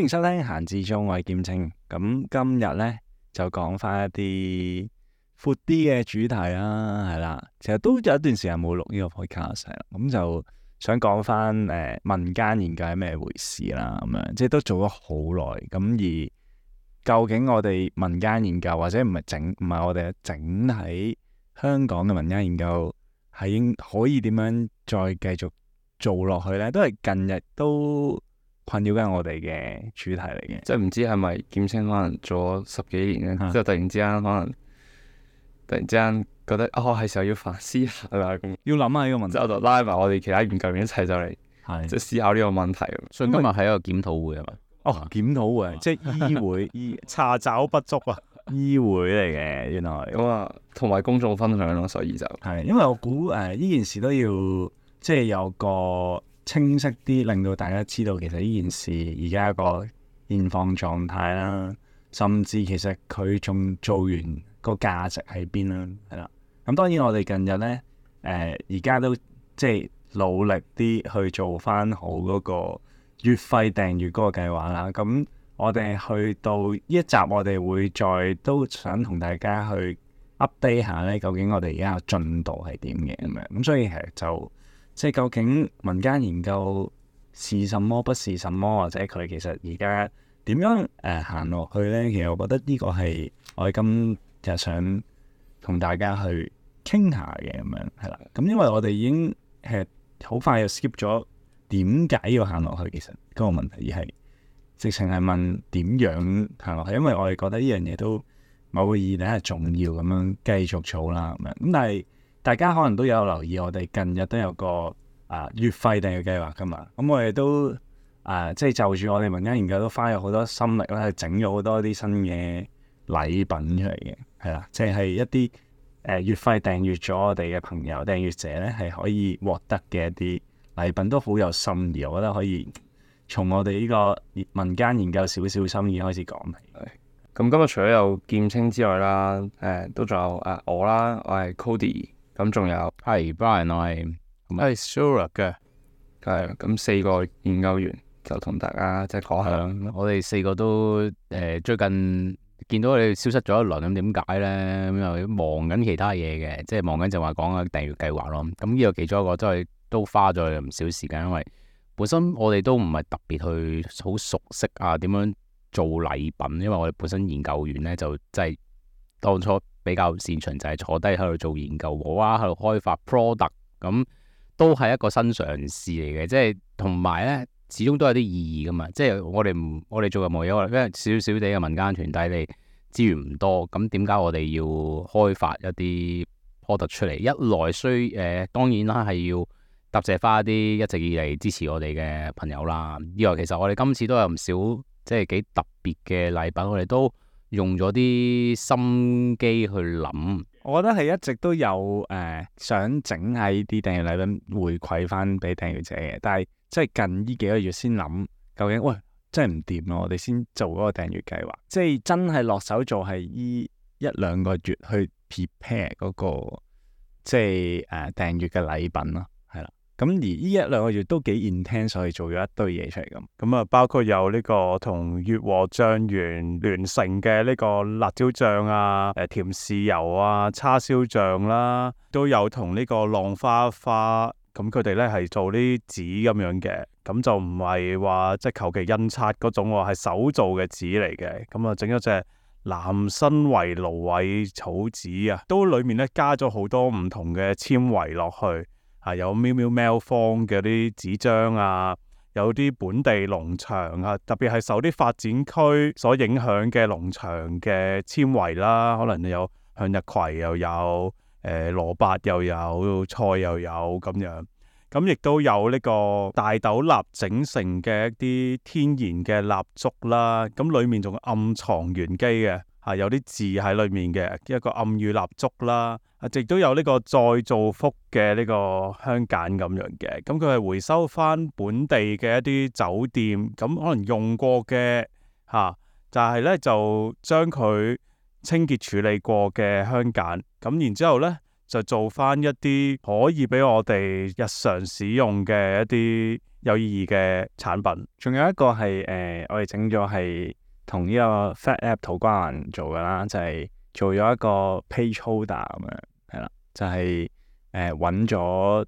迎收聽閒置中，我係劍青。咁今日咧就講翻一啲闊啲嘅主題啦，係啦。其實都有一段時間冇錄呢個 podcast 啦，咁就想講翻民間研究係咩回事啦，咁樣即係都做咗好耐。咁而究竟我哋民間研究或者唔係我哋整體香港嘅民間研究係可以點樣再繼續做落去咧？都係近日都困擾緊我哋嘅主題嚟嘅。即係唔知係咪劍青可能做咗10幾年咧，之後突然之間覺得係時候要反思下啦，咁要諗下呢個問題。之後就拉埋我哋其他研究員一齊就嚟即係思考呢個問題。所以今日係一個檢討會係嘛？檢討會即係醫會查找不足啊，醫會嚟嘅原來。咁啊，同埋公眾分享咯，所以就係因為我估呢件事都要即係有個清晰啲，令到大家知道其實呢件事而家一個現況狀態啦，甚至其實佢仲做完個價值喺邊啦，係啦。咁當然我哋近日咧而家都即係努力啲去做翻好嗰個月費訂閱嗰個計劃啦。咁我哋去到呢一集，我哋會再都想同大家去 update 下咧，究竟我哋而家嘅進度係點嘅咁樣。咁所以其實就即係究竟民間研究是什麼不是什麼，或者佢其實而家點樣行落去咧？其實我覺得呢個係我哋今日想同大家去傾下嘅咁樣係啦。咁因為我哋已經好快就 skip 咗點解要行落去，其實嗰個問題而係直情係問點樣行落去，因為我哋覺得呢樣嘢都某個意義係重要咁樣繼續做啦咁樣。咁但係大家可能都有留意，我哋近日都有個月費訂閱計劃噶嘛。咁我哋都即係就住我哋民間研究都花咗好多心力啦，去整咗好多啲新嘅禮品出嚟嘅，係啦，即係一啲月費訂閱咗我哋嘅朋友訂閱者咧，係可以獲得嘅一啲禮品都好有心意，我覺得可以從我哋呢個民間研究少少心意開始講起。咁今日除咗有劍青之外啦，都仲有我啦，我係 Cody， 咁仲有係 Brian， 我係 Sura 嘅，係咁4個研究員就同大家即係講下。我哋4個都最近見到你哋消失咗一輪，咁點解咧？咁又忙緊其他嘢嘅，即係忙緊就話講緊訂閱計劃咯。咁呢個其中一個真係都花咗唔少時間，因為本身我哋都唔係特別去好熟悉點樣做禮品，因為我哋本身研究員咧就真係當初比較擅長就係坐低喺度做研究，喺度開發 product， 咁都係一個新嘗試嚟嘅，即係同埋咧始終都有啲意義噶嘛。即係我哋做任何嘢，因為少少地嘅民間團體，你資源唔多，咁點解我哋要開發一啲 product 出嚟？一來當然啦係要答謝翻一啲一直以嚟支持我哋嘅朋友啦。二來其實我哋今次都有唔少即係幾特別嘅禮品，我哋都用咗啲心機去諗。我覺得係一直都有想整下呢啲訂閱禮品回饋翻俾訂閱者嘅，但係即係近呢幾個月先諗究竟喂真係唔掂咯，我哋先做嗰個訂閱計劃，即係真係落手做係呢1-2個月去 prepare 嗰個即係訂閱嘅禮品咯，係啦。咁而呢1-2個月都幾 intense，所以做咗一堆嘢出嚟咁。咁啊包括有呢個同悅和醬園聯成嘅呢個辣椒醬啊、甜豉油啊、叉燒醬啦，都有同呢個浪花花，咁佢哋咧係做啲紙咁樣嘅，咁就唔係話即係求其印刷嗰種喎，係手做嘅紙嚟嘅。咁啊整咗隻南新圍蘆葦草紙啊，都裡面咧加咗好多唔同嘅纖維落去。有喵喵喵坊嘅啲紙張啊，有啲本地農場啊，特別係受啲發展區所影響嘅農場嘅纖維啦，可能有向日葵又有蘿蔔又有菜又有咁樣，咁亦都有呢個大豆蠟整成嘅一啲天然嘅蠟燭啦，咁裡面仲暗藏玄機嘅。有啲字喺裏面嘅一個暗語蠟燭啦，亦都有呢個再造福嘅呢個香梘咁樣嘅，咁佢係回收翻本地嘅一啲酒店，咁可能用過嘅就係咧就將佢清潔處理過嘅香梘，咁然之後咧就做翻一啲可以俾我哋日常使用嘅一啲有意義嘅產品。仲有一個係我哋整咗係同呢個 Fat App 土瓜灣做㗎啦，就係、做咗一個 page holder 咁樣，係啦，就係揾咗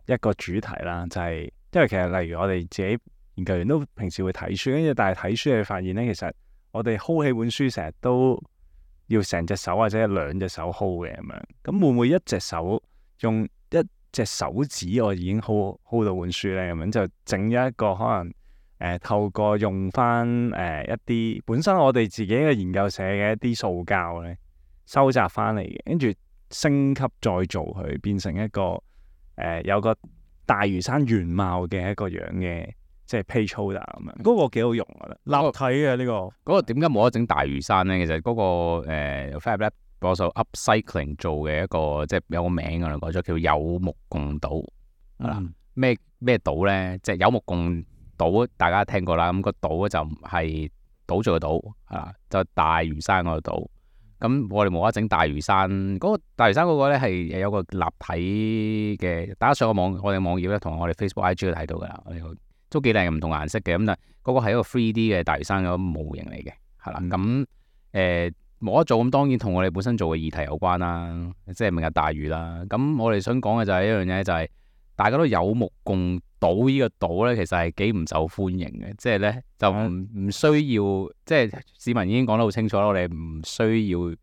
一個主題啦，就係、因為其實例如我哋自己研究員都平時會睇書，跟住但係睇書你發現咧，其實我哋 hold 起本書成日都要成隻手或者兩隻手 hold 嘅咁樣，咁會唔會一隻手用一隻手指我已經 hold 到本書咧？咁樣就整咗一個可能透過用翻一啲本身我哋自己嘅研究社嘅一啲塑膠咧收集翻嚟嘅，跟住升級再做佢變成一個有個大嶼山原貌嘅一個樣嘅。即係 page holder 咁樣，嗰個幾好用啊！立體嘅呢個，嗰個點解冇得整大嶼山咧？其實嗰個Fab Lab 幫手 upcycling 做嘅一個即係有個名㗎啦，改咗叫有目共睹係啦。咩島咧？即係有目共睹，大家聽過啦。咁個島就唔係島做嘅島係啦，就大嶼山嗰個島。咁我哋冇得整大嶼山嗰個大嶼山嗰個咧係有個立體嘅，大家上個網我哋網頁咧同我哋 Facebook IG 都睇到㗎啦。都幾靚，唔同顏色嘅，咁但係嗰個係一個 3D 嘅大嶼山嗰個模型嚟嘅，係啦。咁冇得做，咁當然同我哋本身做嘅議題有關啦，即係明日大嶼啦。咁我哋想講嘅就係一樣嘢，就係大家都有目共睹呢個島咧，其實係幾唔受歡迎嘅，即係咧就唔需要，即係市民已經講得好清楚啦，我哋唔需要。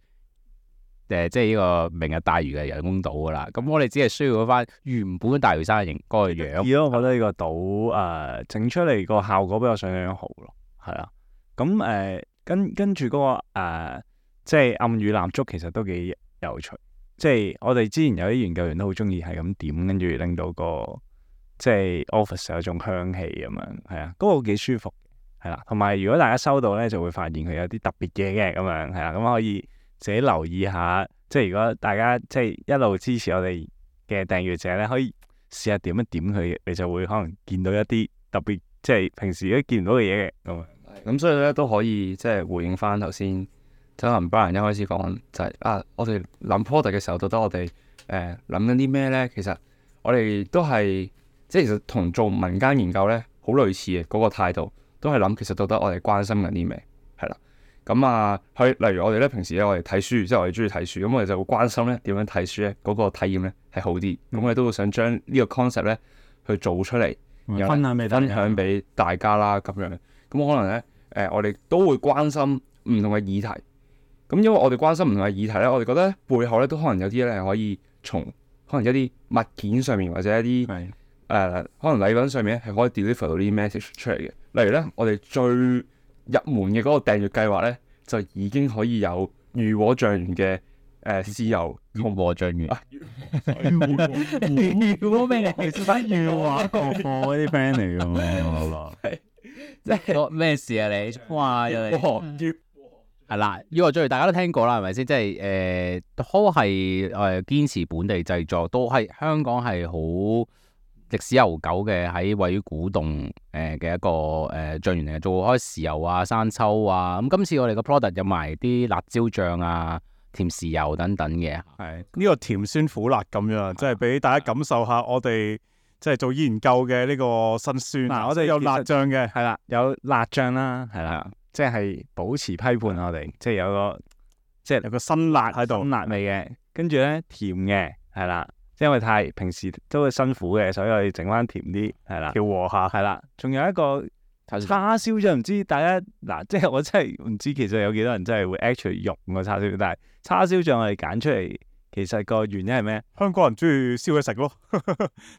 即係呢個明日大嶼嘅人工島噶啦，咁我哋只係需要翻原本大嶼山嘅形嗰個樣。我覺得呢個島整出嚟個效果比我想象好咯，係啊。咁跟住嗰個即係暗語蠟燭其實都幾有趣。即係我哋之前有啲研究員都好中意係咁點，跟住令到個即係 office 有種香氣咁樣，係啊，嗰個幾舒服，係啦。同埋如果大家收到咧，就會發現佢有啲特別嘢嘅咁樣，係啦，咁可以。自己留意下，即係如果大家即係一路支持我哋嘅訂閱者咧，可以試下點一點佢，你就會可能見到一啲特別，即係平時都見唔到嘅嘢嘅咁。咁所以咧都可以即係回應翻頭先，可能 Brian 一開始講就係我哋諗 product 嘅時候，到底我哋諗緊啲咩咧？其實我哋都係即係其實同做民間研究咧好類似嘅嗰個態度，都係諗其實到底我哋關心緊啲咩，係啦。咁例如我哋咧平時咧我哋睇書，即係我哋中意睇書，咁我哋就會關心咧點樣睇書咧嗰個體驗咧係好啲，咁我哋都會想將呢個 concept 咧去做出嚟，然後分享俾大家啦咁樣。咁可能咧我哋都會關心唔同嘅議題，咁因為我哋關心唔同嘅議題咧，我哋覺得背後咧都可能有啲咧可以從可能一啲物件上面或者一啲可能禮品上面係可以 deliver 到啲 message 出嚟嘅。例如咧我哋最入門嘅嗰個訂閱計劃咧，就已經可以有漁和醬園嘅豉油同和醬園。漁和咩嚟？其實係漁和國貨嗰啲 friend 嚟㗎嘛。即係咩事啊你？哇！又嚟係啦，漁和醬園大家都聽過啦，係咪先？即係都係堅持本地製作，都係香港係好歷史悠久嘅，喺位於古洞嘅一個醬園嚟嘅，做開豉油啊、生抽啊。咁今次我哋個 product 有埋啲辣椒醬啊、甜豉油等等嘅。係呢個甜酸苦辣咁樣，即係俾大家感受下我哋即係做研究嘅呢個辛酸。我哋有辣醬嘅，係啦，有辣醬啦，係啦，即係保持批判我哋，即係有個辛辣喺度，辛辣味嘅，跟住咧甜嘅，係啦。因為太平時都會辛苦嘅，所以我哋整翻甜啲，係啦，調和下，係啦。仲有一個叉燒醬，唔知大家即係我真係唔知其實有幾多人真係會 actually 用個叉燒，但係叉燒醬我哋揀出嚟，其實個原因係咩？香港人中意燒嘢食咯，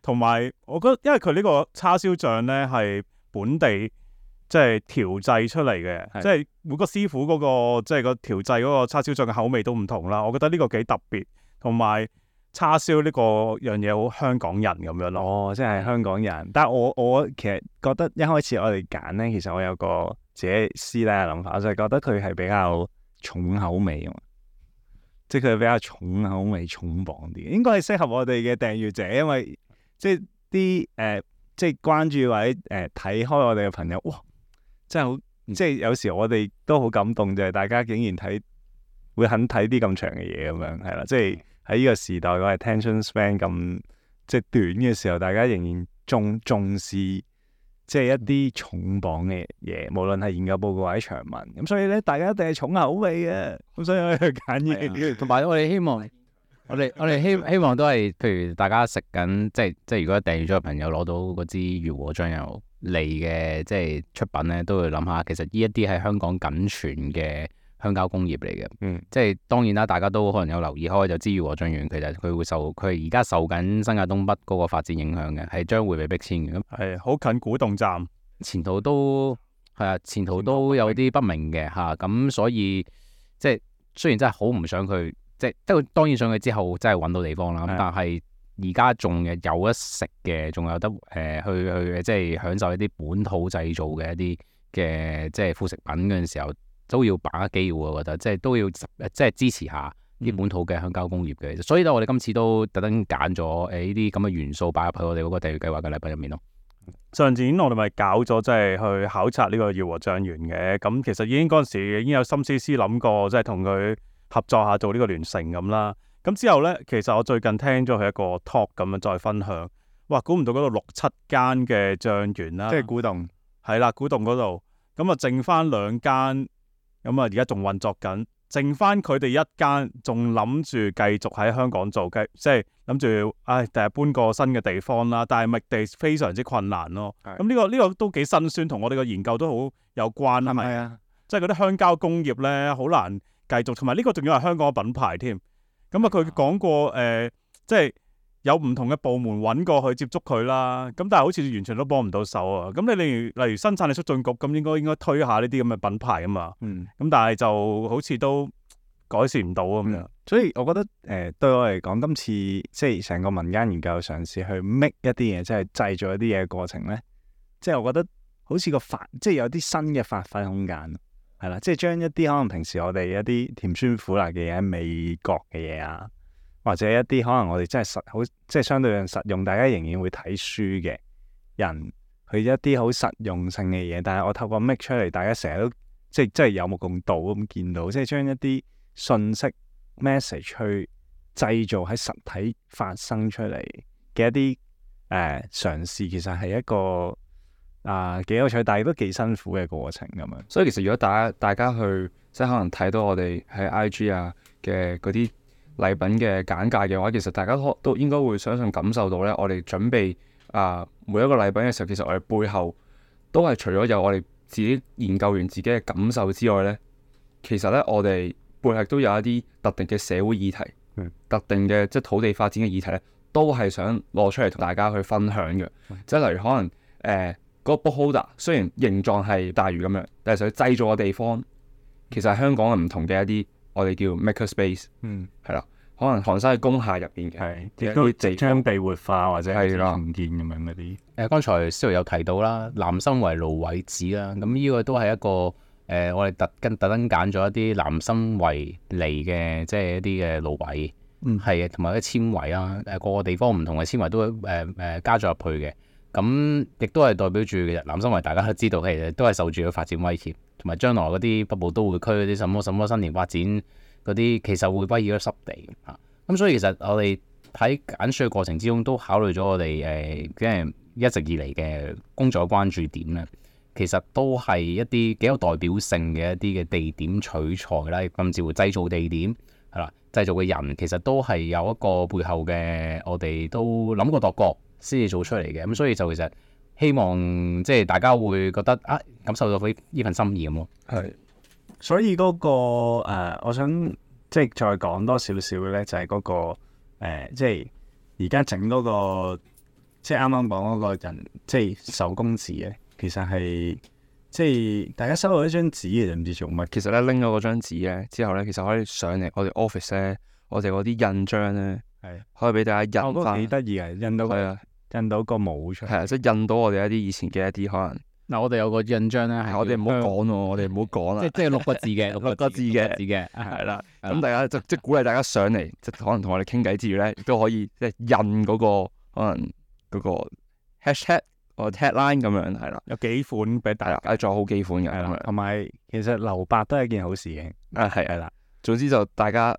同埋我覺得因為佢呢個叉燒醬咧係本地即係調製出嚟嘅，即係每個師傅嗰個即係個調製嗰個叉燒醬嘅口味都唔同啦。我覺得呢個幾特別，同埋。叉燒呢個樣嘢好香港人咁樣咯，即係香港人。但係我其實覺得一開始我哋揀咧，其實我有個自己師奶嘅諗法，就係覺得佢係比較重口味啊，即係佢比較重口味、重磅啲，應該係適合我哋嘅訂閱者，因為即係啲即係關注或者睇開我哋嘅朋友，哇！真係好，即係有時我哋都好感動，就係大家竟然會肯睇啲咁長嘅嘢咁樣，係啦，即係。喺呢個時代，個 attention span 咁即係短嘅時候，大家仍然重視即係一啲重磅嘅嘢，無論係研究報告或者長文。咁所以咧，大家一定係重口味嘅。咁所以我哋揀嘢。同埋我哋希望，我哋希望都係，譬如大家食緊，即係如果訂閱咗嘅朋友攞到嗰支悅和醬油嚟嘅，即係出品咧，都會諗下，其實呢一啲係香港僅存嘅香膠工業嚟嘅。即係當然啦，大家都可能有留意開，就知悅和醬園其實佢而家受緊新界東北嗰個發展影響嘅，係將會被逼遷嘅。咁係好近古洞站，前途都有啲不明嘅嚇，咁所以即係雖然真係好唔想佢，即係當然想佢之後真係揾到地方啦。咁但係而家仲有得食嘅，仲有得去即係享受一啲本土製造嘅一啲嘅即係副食品嗰陣時候，都要把握機會。我覺得即係都要即係支持下啲本土嘅香膠工業嘅。所以咧，我哋今次都特登揀咗呢啲咁嘅元素擺入去我哋嗰個訂閱計劃嘅禮品入面咯。上年我哋咪搞咗即係去考察呢個悅和醬園嘅，咁其實已經嗰陣時已經有心思思諗過，即係同佢合作下做呢個聯乘咁啦。咁之後呢，其實我最近聽咗佢一個 talk 咁樣再分享，哇！估唔到嗰度6-7間嘅醬園啦，即係古洞，係啦，古洞嗰度，咁啊剩翻2間，咁啊而家仲運作緊，剩翻佢哋一間，仲諗住繼續喺香港做，即係諗住，第日搬個新嘅地方啦，但係覓地非常之困難咯。咁呢個都幾辛酸，同我哋個研究都好有關，係咪啊？即係嗰啲香膠工業咧，好難繼續，同埋呢個仲要係香港嘅品牌添。咁啊，佢講過即係有唔同嘅部門揾過去接觸佢啦。咁但係好似完全都幫唔到手啊。咁你例如生產力促進局咁，應該推下呢啲咁嘅品牌啊嘛。咁但係就好似都改善唔到咁樣。所以我覺得對我嚟講，今次即係成個民間研究嘗試去 make 一啲嘢，即係製造一啲嘢嘅過程咧，即係我覺得好似即係有啲新嘅發揮空間。係啦，即係將一啲可能平時我哋一啲甜酸苦辣嘅嘢、味覺嘅嘢啊，或者一啲可能我哋真係即係相對上實用，大家仍然會睇書嘅人，去一啲好實用性嘅嘢。但係我透過 make 出嚟，大家成日都即係有目共睹咁見到，即係將一啲信息 message 去製造喺實體發生出嚟嘅一啲嘗試，其實係一個幾有趣，但係都幾辛苦嘅過程咁樣。所以其實如果大家去即係可能睇到我哋喺 IG 啊嘅嗰啲禮品嘅簡介嘅話，其實大家都應該會相信感受到咧，我哋準備每一個禮品嘅時候，其實我哋背後都係除咗有我哋自己研究完自己嘅感受之外咧，其實咧我哋背後都有一啲特定嘅社會議題，特定嘅即係土地發展嘅議題咧，都係想攞出嚟同大家去分享嘅。即係例如可能嗰個 bookholder 雖然形狀係大魚咁樣，但係想製造嘅地方其實係香港嘅唔同嘅一啲我哋叫 maker space，係啦，可能寒山嘅工廈入邊嘅，亦都即將被活化或者係重建咁樣嗰啲。剛才司徒有提到啦，南生圍蘆葦子啦，咁呢個都係一個我哋特登揀咗一啲南生圍嚟嘅，即係一啲嘅蘆葦，係同埋啲纖維啦，個個地方唔同嘅纖維都加咗入去嘅。咁亦都係代表住其實南生圍大家都知道，其實都係受住個發展威脅，同埋將來嗰啲北部都會區嗰啲什麼新田發展嗰啲，其實會威脅咗濕地嚇。咁所以其實我哋喺揀選嘅過程之中，都考慮咗我哋即係一直以嚟嘅工作關注點咧，其實都係一啲幾有代表性嘅一啲嘅地點取材啦，甚至乎製造地點係啦，製造嘅人其實都係有一個背後嘅，我哋都諗過度過先至做出嚟嘅。咁所以就其實希望即係大家會覺得感受到呢份心意咁咯。係，所以嗰個我想即係再講多少少嘅咧，就係嗰個即係而家整嗰個即係啱啱講嗰個人即係手工紙咧，其實係即係大家收到一張紙嘅，唔知做乜。其實咧拎咗嗰張紙咧之後咧，其實可以上嚟我哋 office 咧，我哋嗰啲印章咧係可以俾大家印翻。幾得意啊！印到係啊，印到個模出嚟。係啊，即係印到我哋一啲以前嘅一啲可能。嗱，我哋有個印章咧，係我哋唔好講喎，我哋唔好講啦。即係6個字嘅，六個字嘅，係啦。咁大家即係鼓勵大家上嚟，即係可能同我哋傾偈之餘咧，亦都可以即係印嗰個可能嗰個 hashtag 或 tagline 咁樣係啦。有幾款俾大家，仲有好幾款嘅，同埋其實留白都係一件好事嘅。係啦。總之就大家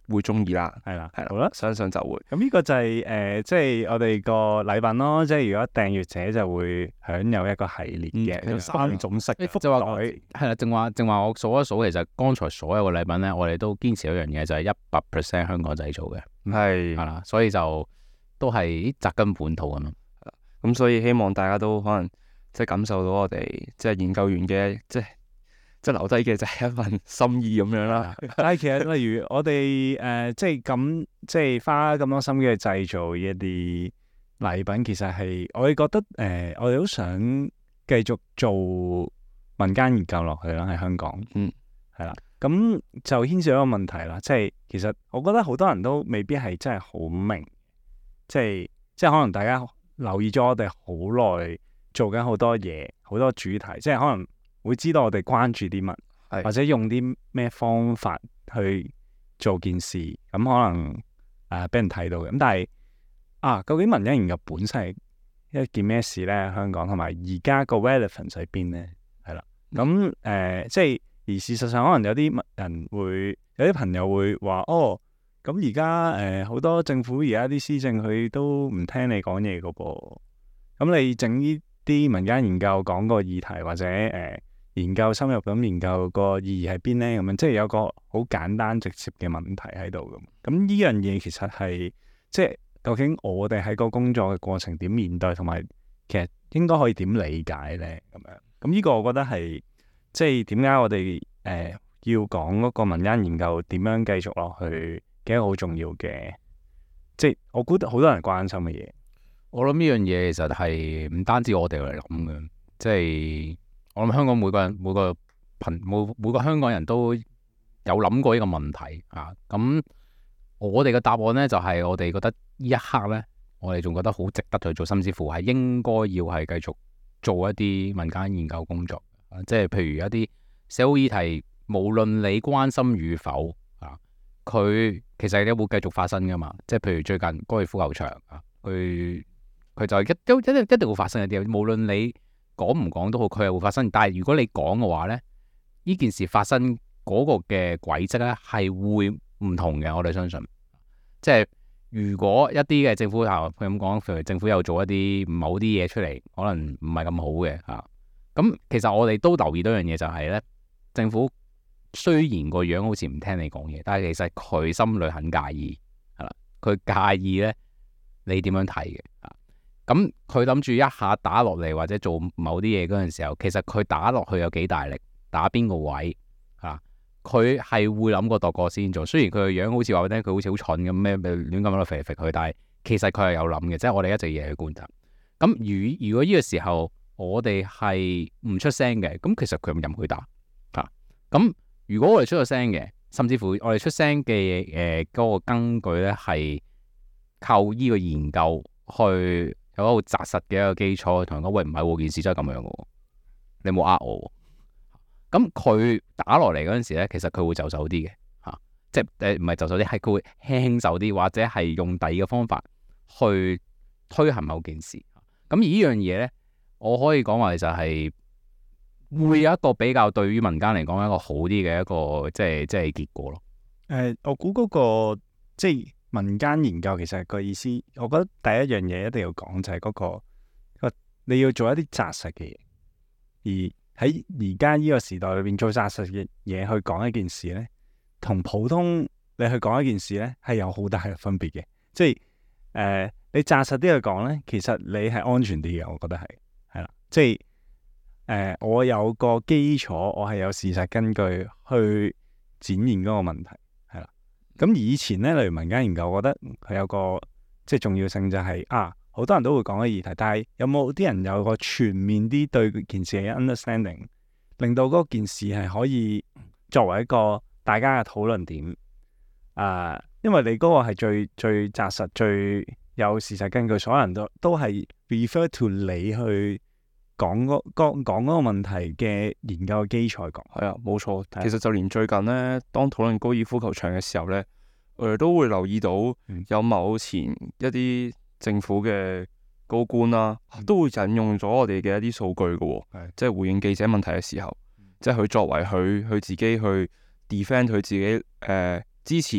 會中意啦，係啦，係啦，好啦。相信就會。咁呢個就係即係我哋個禮品咯。即係如果訂閱者就會享有一個系列嘅，有3種式嘅就話袋，係啦，正話我數一數，其實剛才所有嘅禮品咧，我哋都堅持一樣嘢，就係100% 香港製造嘅，係係啦，所以就都係扎根本土咁樣。咁，所以希望大家都可能即係感受到我哋即係研究員嘅即係留低嘅就係一份心意咁樣啦。但係其實例如我哋即係咁即係花咁多心機去製造一啲禮品，其實係我哋覺得我哋好想繼續做民間研究落去啦，喺香港。係啦。咁就牽涉一個問題啦，即係其實我覺得好多人都未必係真係好明，即係可能大家留意咗我哋好耐，做緊好多嘢，好多主題，即係可能會知道我哋關注啲乜，係或者用啲咩方法去做件事，咁可能俾人睇到嘅。咁但係究竟民間研究本身係一件咩事咧？香港同埋而家個 relevance 喺邊咧？係啦，咁即係而事實上，可能有啲人會有啲朋友會話咁而家好多政府而家啲施政佢都唔聽你講嘢噶噃，咁你整呢啲民間研究講個議題或者研究深入咁研究個意義喺邊咧？咁樣即係有個好簡單直接嘅問題喺度咁。咁呢樣嘢其實係即係究竟我哋喺個工作嘅過程點面對，同埋其實應該可以點理解咧？咁呢個我覺得係即係點解我哋要講嗰個民間研究點樣繼續落去嘅一個好重要嘅，即係我估好多人關心嘅嘢。我諗呢樣嘢其實係唔單止我哋嚟諗嘅，即係我諗香港每個香港人都有諗過呢個問題啊。咁我哋嘅答案呢，就係我哋覺得呢一刻呢，我哋仲覺得好值得去做，甚至乎係應該要係繼續做一啲民間研究工作。即係譬如一啲社會議題，無論你關心與否佢其實都會繼續發生噶嘛。即係譬如最近高爾夫球場佢就一定會發生一啲，無論你講唔講都好，佢係會發生。但係如果你講嘅話呢，呢件事發生嗰個嘅軌跡呢係會唔同嘅。我哋相信，即係如果一啲嘅政府佢咁講，譬如政府又做一啲某啲嘢出嚟，可能唔係咁好嘅咁其實我哋都留意到一樣嘢，就係呢，政府雖然個樣好似唔聽你講嘢，但係其實佢心裏很介意，係啦，佢介意呢你點樣睇嘅。咁佢諗住一下打落嚟或者做某啲嘢嗰陣時候，其實佢打落去有幾大力，打邊個位佢係會諗過度過先做。雖然佢個樣好似話咧，佢好似好蠢咁咩亂咁喺度肥佢，但係其實佢係有諗嘅，即係我哋一直嘢去觀察。咁如果呢個時候我哋係唔出聲嘅，咁其實佢任佢打咁如果我哋出咗聲嘅，甚至乎我哋出聲嘅嗰個根據咧係靠呢個研究去有一個紮實嘅一個基礎，同人講喂，唔係喎，件事真係咁樣嘅喎，你冇呃我喎。咁佢打落嚟嗰陣時咧，其實佢會就手啲嘅即係唔係就手啲，係佢會輕手啲，或者係用第二個方法去推行某件事。咁而呢樣嘢咧，我可以講話就係會有一個比較對於民間嚟講一個好啲嘅一個即係結果咯。我估嗰個即係民間研究其實個意思，我覺得第一樣嘢一定要講就係嗰個你要做一啲紮實嘅嘢，而喺而家呢個時代裏邊做紮實嘅嘢去講一件事咧，同普通你去講一件事咧係有好大嘅分別嘅。即係你紮實啲去講咧，其實你係安全啲嘅，我覺得係啦。即係我有個基礎，我係有事實根據去展現嗰個問題。咁以前咧，例如民間研究，我覺得佢有個即係重要性就係好多人都會講嘅議題，但係有冇啲人有個全面啲對件事嘅 understanding， 令到嗰件事係可以作為一個大家嘅討論點因為你嗰個係最紮實、最有事實根據，所有人都係 refer to 你去講嗰個問題嘅研究嘅基礎講。係啊，冇錯。其實就連最近呢，當討論高爾夫球場嘅時候呢，我哋都會留意到有某前一啲政府嘅高官啦，都會引用咗我哋嘅一啲數據嘅即係回應記者問題嘅時候，即係佢作為佢自己去 defend 佢自己支持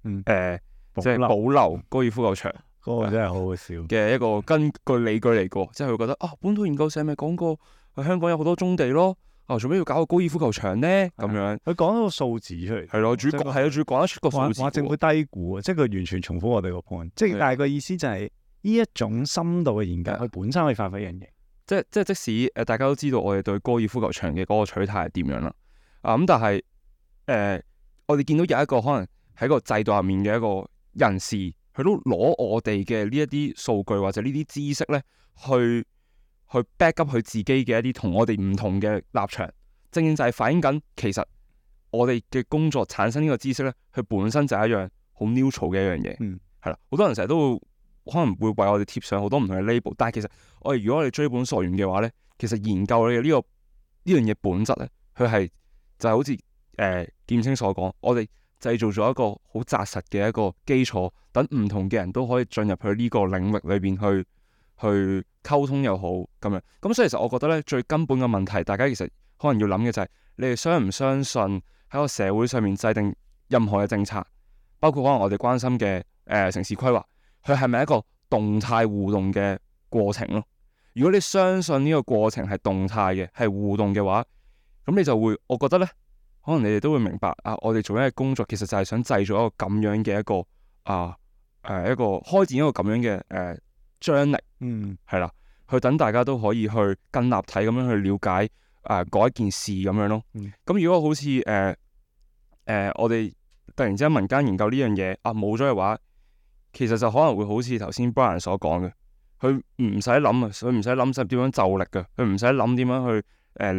即係保留高爾夫球場嗰個真係好好笑。嘅一個根據理據嚟過，即係佢覺得啊，本土研究社咪講過，香港有好多棕地咯，做咩要搞個高爾夫球場呢？咁樣佢講咗個數字出嚟，係咯，主要講得出個數字。話政府低估啊，即係佢完全重複我哋個 point，即係但係個意思就係呢一種深度嘅研究，佢本身可以發揮一樣嘢。即使大家都知道我哋對高爾夫球場嘅嗰個取態係點樣啦，咁但係我哋見到有一個可能喺個制度入面嘅一個人士，佢都攞我哋嘅呢一啲數據或者呢啲知識咧，去 back up 佢自己嘅一啲同我哋唔同嘅立場，正正就係反映緊其實我哋嘅工作產生呢個知識咧，佢本身就係一樣好 neutral 嘅一樣嘢，係啦，好多人成日都會可能會為我哋貼上好多唔同嘅 label， 但係其實如果我哋追本溯源嘅話咧，其實研究嘅呢樣嘢本質咧，佢係就係好似劍青所講，我哋製造咗一個好紮實嘅一個基礎，等唔同嘅人都可以進入去呢個領域裏邊去溝通又好咁樣。咁所以其實我覺得咧，最根本嘅問題，大家其實可能要諗嘅就係，你哋相唔相信喺個社會上面制定任何嘅政策，包括可能我哋關心嘅城市規劃，佢係咪一個動態互動嘅過程咯？如果你相信呢個過程係動態嘅，係互動嘅話，咁你就會，我覺得咧，可能你哋都會明白啊，我哋做緊嘅工作其實就係想製造一個咁樣嘅一個一個開展一個咁樣嘅張力，係啦，去等大家都可以去更立體咁樣去了解嗰一件事咁樣咯。咁如果好似我哋突然之間民間研究呢樣嘢冇咗嘅話，其實就可能會好似頭先 Brian 所講嘅，佢唔使諗啊，佢唔使諗點樣就力嘅，佢唔使諗點樣去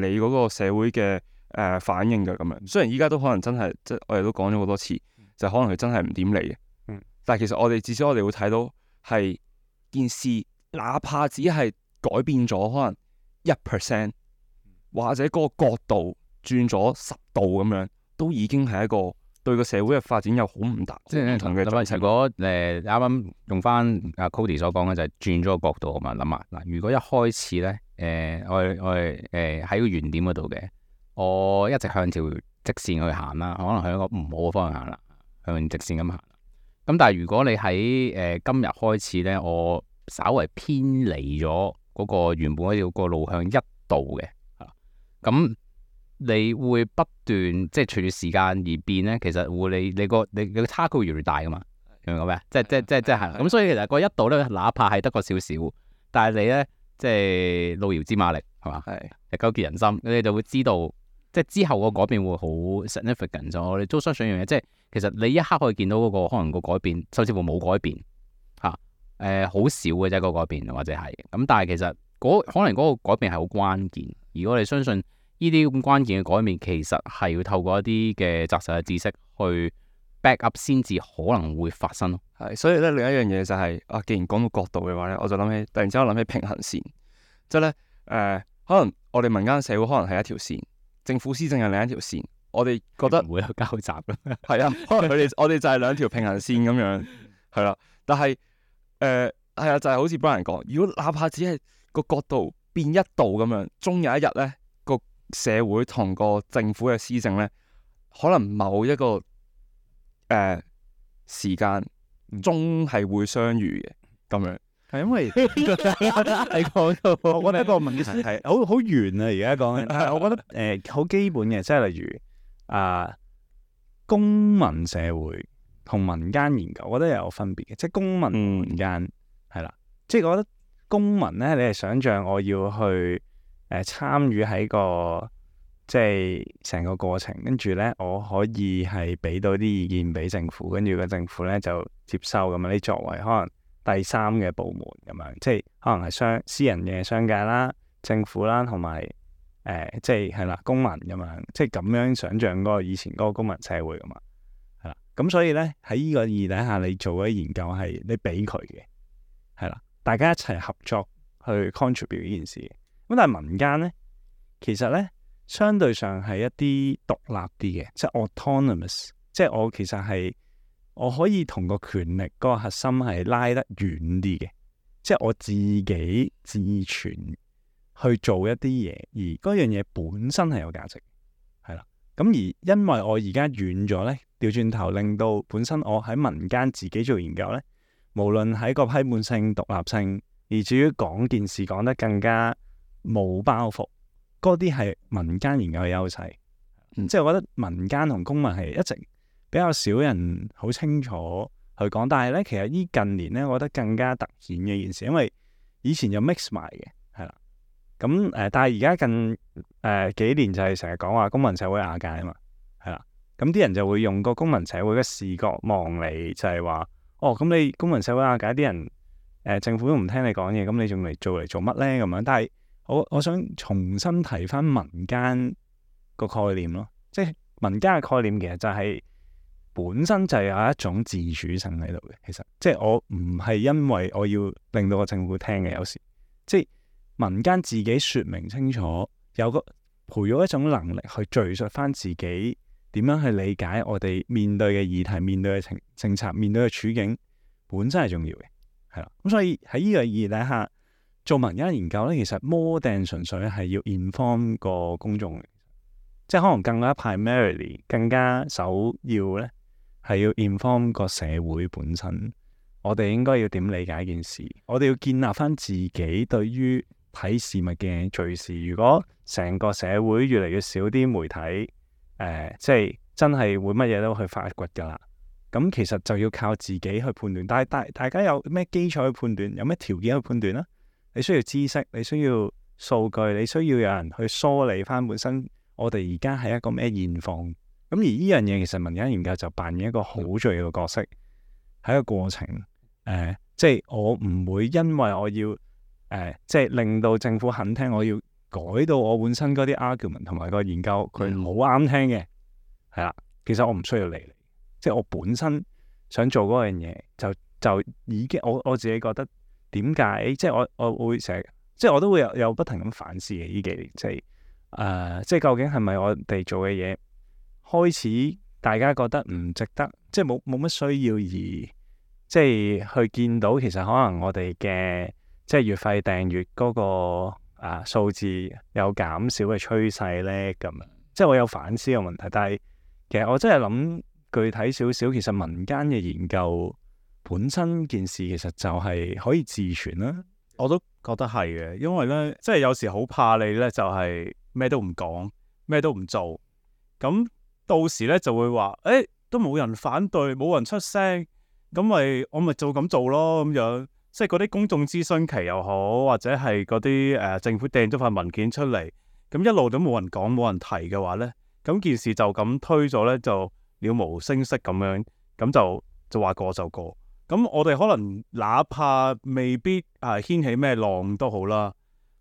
理嗰個社會嘅反應嘅咁樣。雖然依家都可能真係，即係我哋都講咗好多次，就可能佢真係唔點理嘅。但係其實我哋至少我哋會睇到係件事，哪怕只係改變咗可能1%，或者嗰個角度轉咗10度咁樣，都已經係一個對個社會嘅發展有好唔大即係唔同嘅。如果啱啱用翻阿 Cody 所講嘅就係轉咗個角度啊嘛，諗下嗱，如果一開始咧我哋喺個原點嗰度嘅，我一直向條直線去行啦，可能向一個唔好嘅方向行啦，向直線咁行。咁但係如果你喺今日開始咧，我稍為偏離咗嗰個原本嗰條個路向1度嘅，咁你會不斷即係隨住時間而變咧，其實會你個差距會越嚟越大噶嘛，明唔明我咩？即係係咁，所以其實個1度咧，哪怕係得個少少，但係你咧即係路遙知馬力係嘛，日久見人心，你就會知道即係之後個改變會好 significant。就我哋都相信一樣嘢，即係其實你一刻可以見到嗰個可能個改變，甚至乎冇改變嚇，好少嘅啫個改變或者係咁，但係其實可能嗰個改變係好關鍵。如果你相信呢啲咁關鍵嘅改變，其實係要透過一啲嘅紮實嘅知識去 back up 先至可能會發生咯。係，所以咧另一樣嘢就係既然講到角度嘅話咧，我就突然之間諗起平衡線，即係咧可能我哋民間社會可能係一條線，政府施政係另一條線，我哋覺得唔會有交集嘅。係啊，可能我哋就係兩條平衡線咁樣，係啦。但係係啊，就係好似 Brian 講，如果哪怕只係個角度變1度咁樣，終有一日咧，個社會同個政府嘅施政咧，可能某一個時間終係會相遇嘅咁樣。係因為你講到，我覺得一個問題係好遠啊！而家講緊，我覺得好基本嘅，即係例如公民社會同民間研究，我覺得有分別嘅。即係公民同民間係啦，即係我覺得公民咧，你係想像我要去參與喺個即係成個過程，跟住咧我可以係俾到啲意見俾政府，跟住個政府咧就接收咁樣。你作為可能第三嘅部門咁樣，即係可能係私人嘅商界啦、政府啦，同埋即係啦公民咁樣，即係咁樣想像嗰個以前嗰個公民社會噶嘛，係啦。咁所以咧喺呢個意義底下，你做嗰啲研究係你俾佢嘅，係啦，大家一齊合作去 contribute 呢件事嘅。咁但係民間咧，其實咧相對上係一啲獨立啲嘅，即係 autonomous， 即係我其實係。我可以同個權力嗰個核心係拉得遠啲嘅，即係我自己自存去做一啲嘢，而嗰樣嘢本身係有價值，係啦。咁而因為我而家遠咗咧，調轉頭令到本身我喺民間自己做研究咧，無論喺個批判性、獨立性，而至於講件事講得更加冇包袱，嗰啲係民間研究嘅優勢。即係我覺得民間同公民係一直比較少人好清楚去講，但係咧其實呢近年咧，我覺得更加突顯嘅一件事，因為以前就 mix 埋嘅，係啦。咁但係而家近幾年就係成日講話公民社會瓦解啊嘛，係啦。咁啲人就會用個公民社會嘅視覺望你，就係話，哦，咁你公民社會瓦解，啲人政府都唔聽你講嘢，咁你仲嚟做乜咧？咁樣，但係我想重新提翻民間個概念咯，即係民間嘅概念其實就係本身就有一種自主性喺度嘅。其實即係我唔係因為我要令到個政府聽嘅，有時即係民間自己説明清楚，培育一種能力去敘述翻自己點樣去理解我哋面對嘅議題、面對嘅政策、面對嘅處境，本身係重要嘅，係啦。咁所以喺呢個意義底下，做民間研究咧，其實more than純粹係要 inform 個公眾嘅，即係可能更加 primarily 更加首要咧，係要 inform 個社會本身。我哋應該要點理解一件事？我哋要建立翻自己對於睇事物嘅敘事。如果成個社會越嚟越少啲媒體，即係真係會乜嘢都去發掘㗎啦。咁其實就要靠自己去判斷。但係大家有咩基礎去判斷？有咩條件去判斷咧？你需要知識，你需要數據，你需要有人去梳理翻本身我哋而家係一個咩現況。咁而呢樣嘢其實民間研究就扮演一個好重要嘅角色，喺個過程。即係我唔會因為我要即係令到政府肯聽，我要改到我本身嗰啲 argument 同埋個研究佢好啱聽嘅，係啦。其實我唔需要理你，即係我本身想做嗰樣嘢，就已經我自己覺得點解？即係我會成日，即係我都會有不停咁反思嘅呢幾年，即係究竟係咪我哋做嘅嘢開始大家覺得唔值得，即係冇乜需要而即係去見到其實可能我哋嘅即係月費訂閱嗰個數字有減少嘅趨勢咧，咁即係我有反思嘅問題。但係其實我真係諗具體少少，其實民間嘅研究本身件事其實就係可以自存啦。我都覺得係嘅，因為咧即係有時好怕你咧就係咩都唔講，咩都唔做，咁到時咧就會話都冇人反對，冇人出聲。咁我咪做咁做咯，咁樣即係嗰啲公眾諮詢期又好，或者係嗰啲政府掟咗份文件出嚟，咁一路都冇人講冇人提嘅話咧，咁件事就咁推咗咧，就了無聲息咁樣，咁就話過就過。咁我哋可能哪怕未必掀起咩浪都好啦，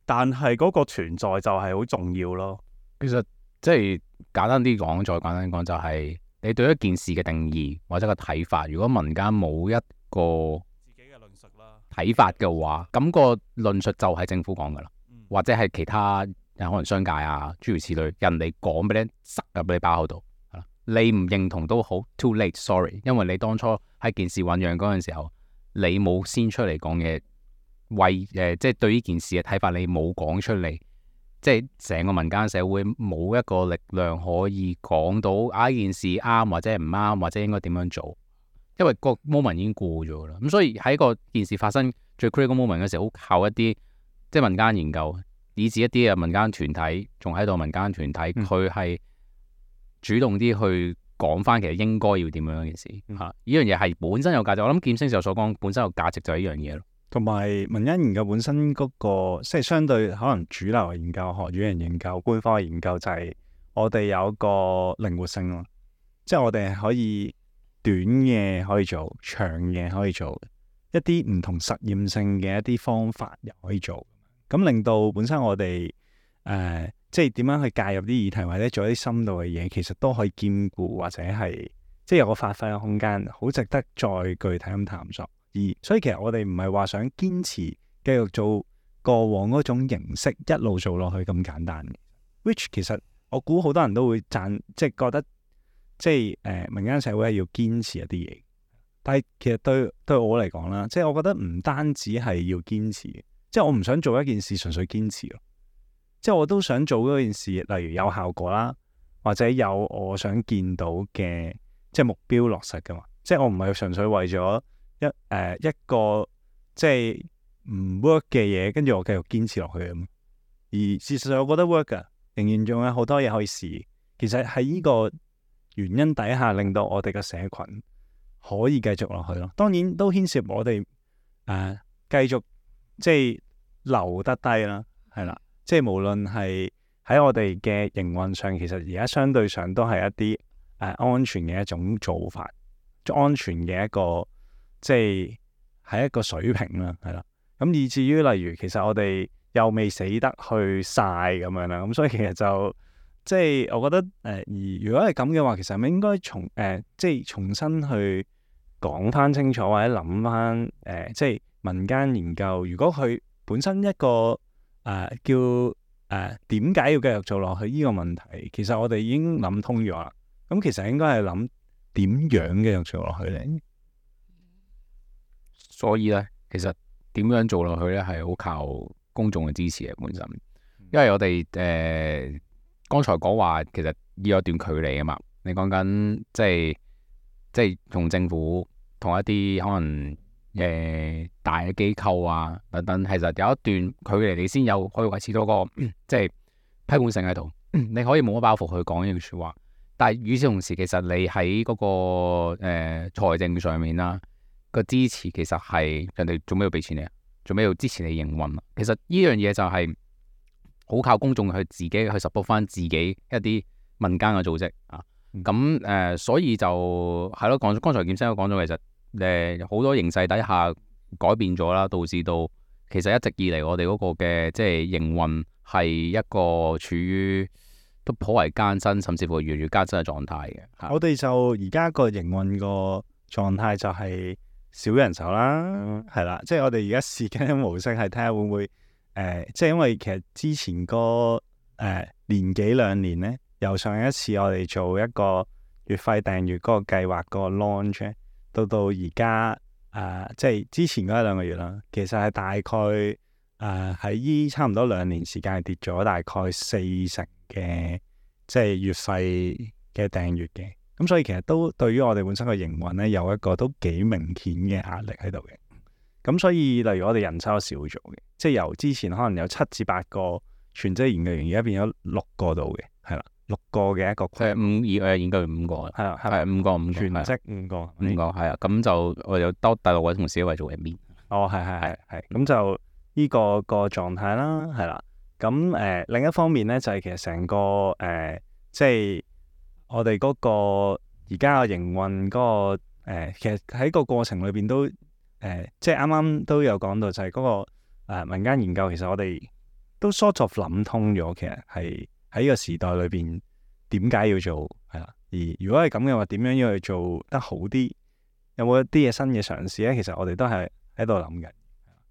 但係嗰個存在就係好重要咯。其實即係簡單啲講，再簡單講就係你對一件事嘅定義或者個睇法，如果民間冇一個自己嘅論述啦睇法嘅話，咁個論述就係政府講噶啦，或者係其他可能商界啊諸如此類，人哋講俾你塞入你包口度，你唔認同都好 ，too late sorry，因為你當初喺件事醖釀嗰陣時候，你冇先出嚟講嘢，即係對呢件事嘅睇法你冇講出嚟。即係成個民間社會冇一個力量可以講到呢件事啱或者唔啱，或者應該點樣做，因為個 moment 已經過咗啦。咁所以喺個件事發生最 critical moment 嘅時候，好靠一啲即係民間研究，以至一啲民間團體仲喺度，民間團體佢係主動啲去講翻其實應該要點樣件事嚇。呢樣嘢係本身有價值，我諗劍星就所講本身有價值就係呢樣嘢咯。同埋民間研究本身嗰個，即係相對可能主流嘅研究、學院研究、官方嘅研究，就係我哋有一個靈活性咯。即係我哋係可以短嘅可以做，長嘅可以做，一啲唔同實驗性嘅一啲方法又可以做。咁令到本身我哋即係點樣去介入啲議題，或者做一啲深度嘅嘢，其實都可以兼顧，或者係即係有個發揮嘅空間，好值得再具體咁探索。所以其實我哋唔係話想堅持繼續做過往嗰種形式一路做落去咁簡單嘅。which 其實我估好多人都會即係覺得即係民間社會係要堅持一啲嘢，但係其實對我嚟講啦，即係我覺得唔單止係要堅持，即係我唔想做一件事純粹堅持咯，即係我都想做嗰件事，例如有效果啦，或者有我想見到嘅即係目標落實噶嘛。即係我唔係純粹為咗一個即係唔 work 嘅嘢，跟住我繼續堅持落去咁。而事實上，我覺得 work 噶，仍然仲有好多嘢可以試。其實喺呢個原因底下，令到我哋嘅社群可以繼續落去咯。當然都牽涉我哋繼續即係留得低啦，係啦。即係無論係喺我哋嘅營運上，其實而家相對上都係一啲安全嘅一種做法，安全嘅一個即係一個水平啦，係啦。咁以至於例如，其實我哋又未死得去晒咁樣啦，咁所以其實就即係我覺得而如果係咁嘅話，其實係咪應該即係重新去講翻清楚，或者諗翻即係民間研究，如果佢本身一個叫點解要繼續做落去呢個問題，其實我哋已經諗通咗啦。咁其實應該係諗點樣繼續做落去咧？所以咧，其實點樣做落去咧，係好靠公眾嘅支持嘅本身。因為我哋剛才講話，其實要有一段距離啊嘛。你講緊即係同政府同一啲可能大嘅機構啊等等，其實有一段距離，你先有可以維持到個即係批判性喺度。你可以冇乜包袱去講呢句説話，但係與此同時，其實你喺嗰個財政上面啦，個支持其實係人哋做咩要俾錢你啊？做咩要支持你營運啊？其實呢樣嘢就係好靠公眾去自己去 support 翻自己一啲民間嘅組織啊。咁所以就係咯，剛才劍生都講咗，其實好多形勢底下改變咗啦，導致到其實一直以嚟我哋嗰個嘅即係營運係一個處於都頗為艱辛，甚至乎越嚟越艱辛嘅狀態嘅。我哋就而家個營運個狀態就係少人手啦，係啦，即係我哋而家試緊嘅模式係睇下會唔會即係因為其實之前個年幾兩年咧，由上一次我哋做一個月費訂閱嗰個計劃嗰個 launch 到而家即係之前嗰一兩個月啦，其實係大概喺依差唔多2年時間係跌咗大概40%嘅即係月費嘅訂閱嘅。咁所以其實都對於我哋本身嘅營運咧，有一個都幾明顯嘅壓力喺度嘅。咁所以例如我哋人手少咗嘅，即係由之前可能有7至8個全職研究員，而家變咗6個度嘅，係啦，6個嘅一個研究員5個，係啦，係5個全職5個係啊。咁就我有多第6位同事一位做 admin。哦，係，咁就呢個狀態啦，係啦。咁另一方面咧，就係其實成個即係我哋嗰個而家嘅營運嗰個其實喺個過程裏邊都即係啱啱都有講到，就係嗰個民間研究，其實我哋都 sort of 諗通咗，其實係喺呢個時代裏邊點解要做係啦。而如果係咁嘅話，點樣要去做得好啲？有冇一啲嘢新嘅嘗試咧？其實我哋都係喺度諗緊。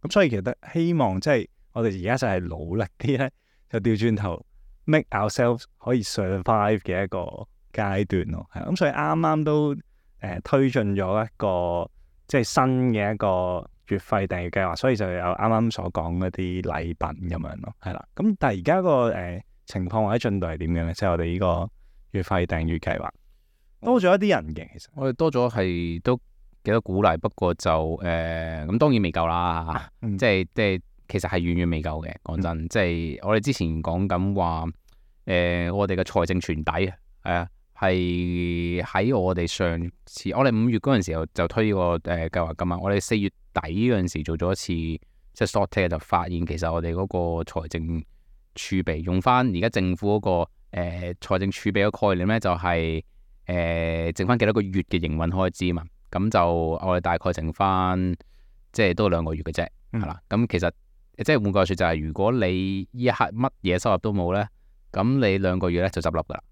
咁所以其實希望即係我哋而家就係努力啲咧，就調轉頭 make ourselves 可以 survive 嘅一個階段咯。係咁，所以啱啱都推進咗一個即係新嘅一個月費訂閱計劃，所以就有啱啱所講嗰啲禮品咁樣咯。係啦，咁但係而家個情況或者進度係點樣咧？即係我哋呢個月費訂閱計劃多咗一啲人嘅，其實我哋多咗係都幾多鼓勵，不過就咁當然未夠啦。即係其實係遠遠未夠嘅。講真，即係我哋之前講緊話我哋嘅財政傳底係喺我哋上次我哋5月嗰陣時候就推呢個計劃噶嘛。我哋4月底嗰陣時做咗一次即係 short take， 就發現其實我哋嗰個財政儲備用翻而家政府嗰個財政儲備嘅概念咧，就係剩翻幾多個月嘅營運開支嘛。咁就我哋大概剩翻即係都2個月嘅啫，係啦。咁其實即係換句話說，就係如果你呢一刻乜嘢收入都冇咧，咁你2個月咧就執笠噶啦。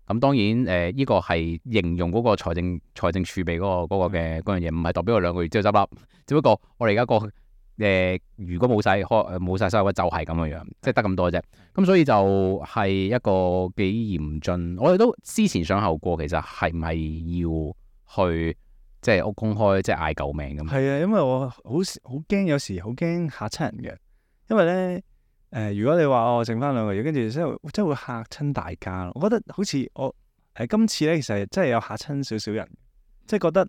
咁當然呢個係形容嗰個財政儲備嗰個嘅嗰樣嘢，唔係代表我2個月之後執笠。只不過我哋而家個如果冇晒收入就係咁嘅樣，即係得咁多啫。咁所以就係一個幾嚴峻。我哋都思前想後過，其實係唔係要去即係公開即係嗌救命咁？係啊，因為我好驚，有時好驚嚇親人嘅。因為咧如果你話我剩翻2個月，跟住真係會嚇親大家咯。我覺得好似我今次咧，其實真係有嚇親少少人，即係覺得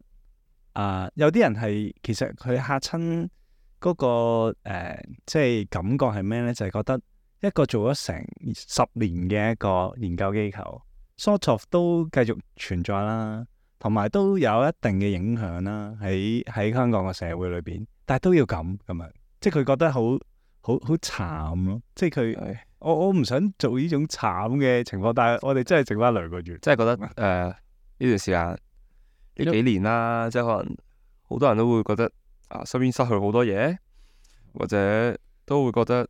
有啲人係其實佢嚇親嗰個即係感覺係咩咧？就係覺得一個做咗成10年嘅一個研究機構，sort of 都繼續存在啦，同埋都有一定嘅影響啦，喺香港個社會裏邊，但係都要咁樣，即係佢覺得好慘咯，即係佢我唔想做呢種慘嘅情況，但係我哋真係剩翻2個月，即係覺得呢段時間呢幾年啦，即係可能好多人都會覺得身邊失去好多嘢，或者都會覺得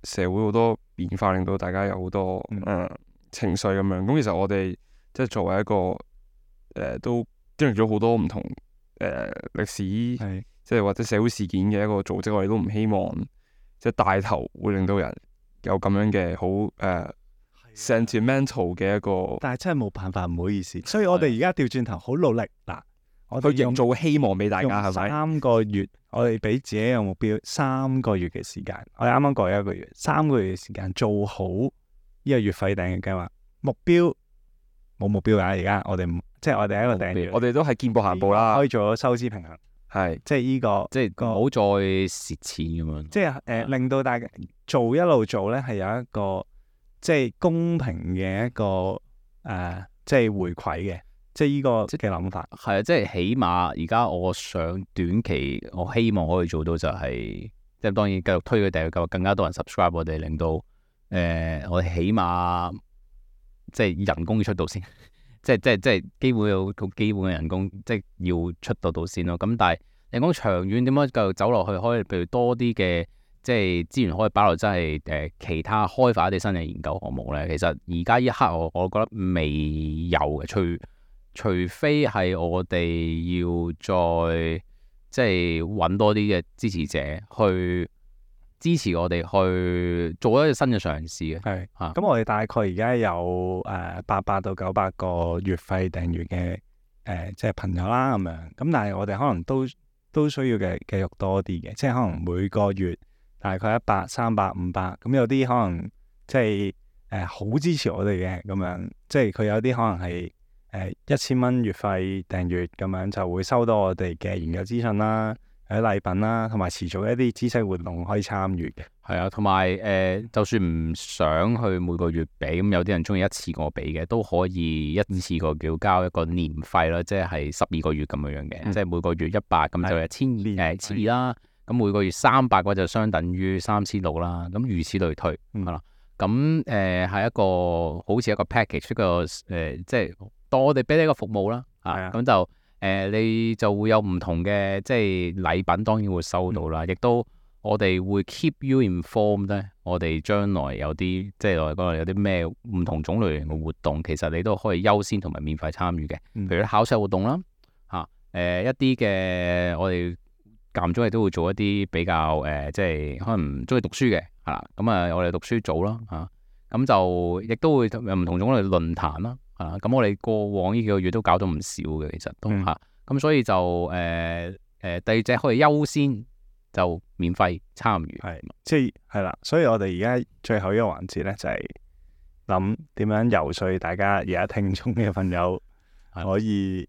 社會好多變化，令到大家有好多情緒咁樣。咁其實我哋即係作為一個都經歷咗好多唔同歷史，即係或者社會事件嘅一個組織，我哋都唔希望即係帶頭會令到人有咁樣嘅好sentimental 嘅一個。但係真係冇辦法，唔好意思。所以我哋而家調轉頭好努力嗱，我哋去營造希望俾大家，係咪？3個月，我哋俾自己有目標，3個月嘅時間。我哋啱啱過1個月，3個月嘅時間做好呢個月費訂閱計劃。目標冇目標㗎，而家我哋即係我哋一個訂閱，我哋都係見步行步啦，可以做到收支平衡。係即係呢個，即係唔好再蝕錢咁樣。即係令到大家一路做咧，係有一個即係公平嘅一個即係回饋嘅，即係呢個嘅諗法。係啊，即係起碼而家我想短期，我希望可以做到就係，即係當然繼續推佢訂閱計劃，更加多人 subscribe 我哋，令到我哋起碼即係人工要出到先。即係基本有個基本嘅人工，即係要出到先咯。咁但係你講長遠點樣繼續走落去，可以譬如多啲嘅即係資源可以擺落，真係其他開發一啲新嘅研究項目咧。其實而家一刻我覺得未有嘅，除非係我哋要再即係揾多啲嘅支持者去支持我哋去做一個新嘅嘗試嘅。係咁我哋大概而家有800到900個月費訂閱嘅即係朋友啦咁樣。咁但係我哋可能都需要嘅繼續多啲嘅，即係可能每個月大概100、300、500。咁有啲可能即係好支持我哋嘅咁樣，即係佢有啲可能係1000蚊月費訂閱咁樣，就會收到我哋嘅研究資訊啦。喺禮品啦，同埋持續一啲知識活動可以參與嘅。係啊，同埋就算唔想去每個月俾，咁有啲人中意一次過俾嘅，都可以一次過叫交一個年費啦，即係12個月咁樣嘅，即係每個月100，咁就1200啦。咁每個月300嘅話就相等於3600啦。咁如此類推，係啦。咁係一個好似一個 package，一個即係當我哋俾你一個服務啦。咁就。你就會有唔同嘅即係禮品，當然會收到啦。亦都我哋會 keep you informed 咧。我哋將來有啲即係我哋講有啲咩唔同種類型嘅活動，其實你都可以優先同埋免費參與嘅。譬如考試活動啦，一啲嘅我哋間唔中亦都會做一啲比較即係可能中意讀書嘅係啦。咁我哋讀書組啦咁就亦都會有唔同種類論壇啦。咁我哋過往呢幾個月都搞咗唔少嘅，其實都咁所以就第二隻可以優先就免費參與，即係啦。所以我哋而家最後一個環節咧，就係諗點樣游說大家而家聽眾嘅朋友可以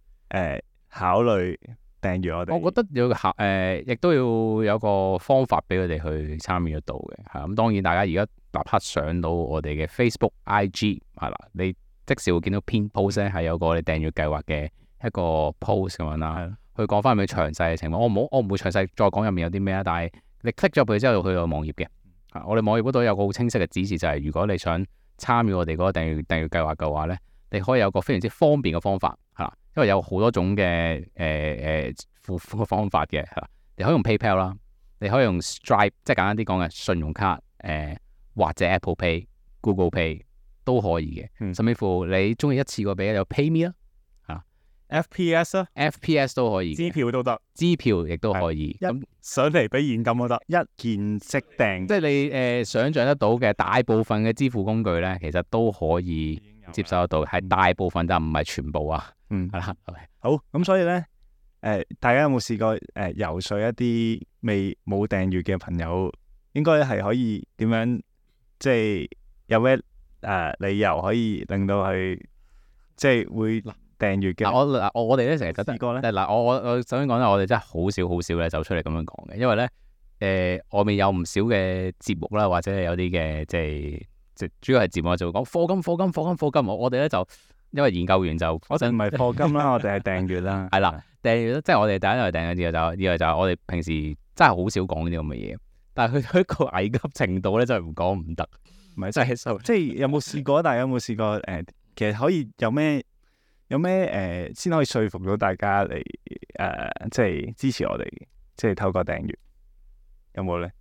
考慮訂閱我哋。我覺得亦都要有個方法俾佢哋去參與得到嘅。咁當然大家而家立刻上到我哋嘅 Facebook、IG 係啦，你即時會見到篇 post 咧，係有個我哋訂閱計劃嘅一個 post 咁樣啦，去講翻佢詳細嘅情況。我唔會詳細再講入面有啲咩啦，但係你 click 咗入去之後，去到網頁嘅。我哋網頁嗰度有個好清晰嘅指示，就係如果你想參與我哋嗰個訂閱計劃嘅話咧，你可以有個非常之方便嘅方法係啦，因為有好多種嘅付款嘅方法嘅係啦，你可以用 PayPal 啦，你可以用 Stripe， 即係簡單啲講嘅信用卡或者 Apple Pay、Google Pay。都可以嘅，甚至乎你中意一次過俾有 PayMe 啦，FPS 啦，FPS 都可以，支票都得，支票亦都可以。咁上嚟俾現金都得，一鍵即訂。即係你想像得到嘅大部分嘅支付工具咧，其實都可以接受得到，係大部分但唔係全部啊。係啦，好咁，所以咧大家有冇試過游說一啲冇訂閱嘅朋友，應該係可以點樣即係有咩理由可以令到佢即係會訂閱嘅？我哋咧成日覺得試過咧我首先講咧，我哋真係好少咧走出嚟咁樣講嘅，因為咧外面有唔少嘅節目啦，或者係有啲嘅即係主要係節目就會講課金，我哋咧就因為研究完就我哋唔係課金啦，我哋係訂閱啦。係啦，訂閱即係我哋第一係訂閱，第二就係我哋平時真係好少講呢啲咁嘅嘢，但係去到一個危急程度咧，真係唔講唔得，唔係真係即係有冇試過？大家有冇試過？其實可以有咩先可以說服到大家嚟即係支持我哋，即係透過訂閱有冇咧？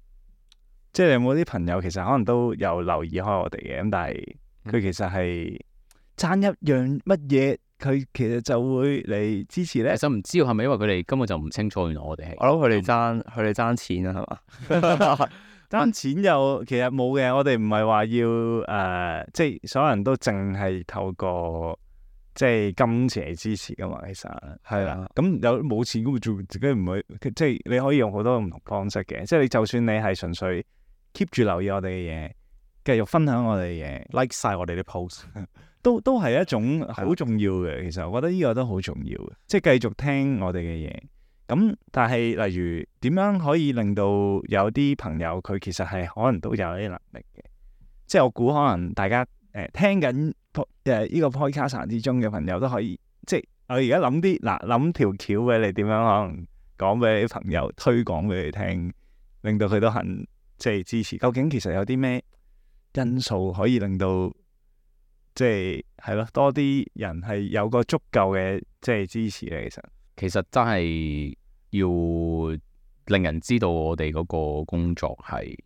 即係有冇啲朋友其實可能都有留意開我哋嘅，咁但係佢其實係爭一樣乜嘢，佢其實就會嚟支持咧。其實唔知係咪因為佢哋根本就唔清楚，原來我哋係我諗佢哋爭錢啊，係嘛？爭錢又其實冇嘅，我哋唔係話要即係所有人都淨係透過即係金錢嚟支持噶嘛。其實係啦，咁有冇錢咁做自己唔會，即係你可以用好多唔同方式嘅。即係你就算你係純粹 keep 住留意我哋嘅嘢，繼續分享我哋嘅嘢 ，like 晒我哋啲 post，都係一種好重要嘅。其實我覺得呢個都好重要嘅，即係繼續聽我哋嘅嘢。咁但係例如點樣可以令到有啲朋友佢其實係可能都有啲能力嘅，即係我估可能大家聽緊呢個 podcast 之中嘅朋友都可以，即係我而家諗條橋俾你點樣可能講俾你啲朋友推廣俾你聽，令到佢都肯即係支持。究竟其實有啲咩因素可以令到即係咯多啲人係有個足夠嘅即係支持咧？其實真係要令人知道我哋嗰個工作係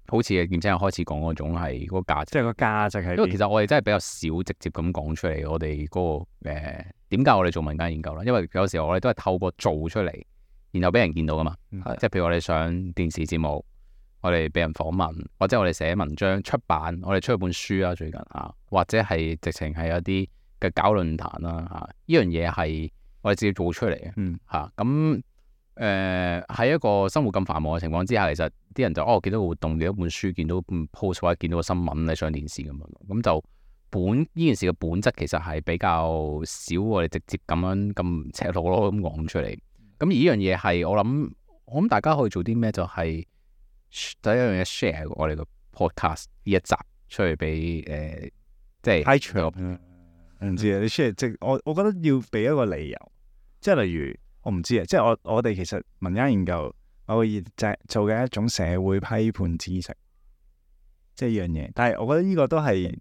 好似劍青開始講嗰種係嗰個價值，即係個價值係。因為其實我哋真係比較少直接咁講出嚟，我哋嗰個點解我哋做民間研究啦？因為有時候我哋都係透過做出嚟，然後俾人見到噶嘛。即係譬如我哋上電視節目，我哋俾人訪問，或者我哋寫文章出版，我哋出咗本書啊，最近或者係直情係有啲嘅搞論壇啦呢樣嘢係我哋自己做出嚟嘅。咁喺一個生活咁繁忙嘅情況之下，其實啲人就見到個活動，見到本書，見到 post 或者見到個新聞你上電視咁樣，咁就呢件事嘅本質其實係比較少我哋直接咁樣咁赤裸裸咁講出嚟。咁而呢樣嘢係我諗大家可以做啲咩？就係第一樣嘢 share 我哋個 podcast 呢一集出去俾即係太長唔知啊！你 share 即我覺得要俾一個理由，即係例如我唔知啊，即係我哋其實民間研究我會做嘅一種社會批判知識，即係呢樣嘢。但係我覺得呢個都係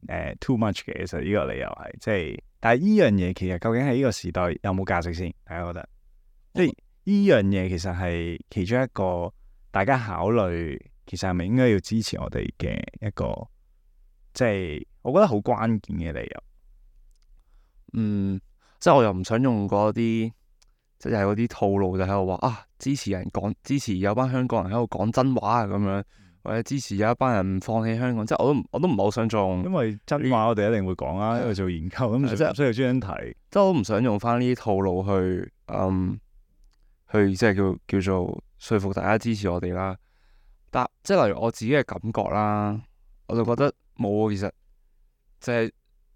too much 嘅，其實呢個理由係即係，但係呢樣嘢其實究竟喺呢個時代有冇價值先？大家覺得即係呢樣嘢其實係其中一個大家考慮，其實係咪應該要支持我哋嘅一個即係我覺得好關鍵嘅理由。即係我又唔想用嗰啲，即係嗰啲套路，就喺度話支持有班香港人喺度講真話啊咁樣，或者支持有一班人唔放棄香港，即係我都唔係好想做。因為真話我哋一定會講啊，因為做研究咁，即係唔需要專登提。即係我唔想用翻呢啲套路去即係叫做說服大家支持我哋啦。但即係例如我自己嘅感覺啦，我就覺得冇，其實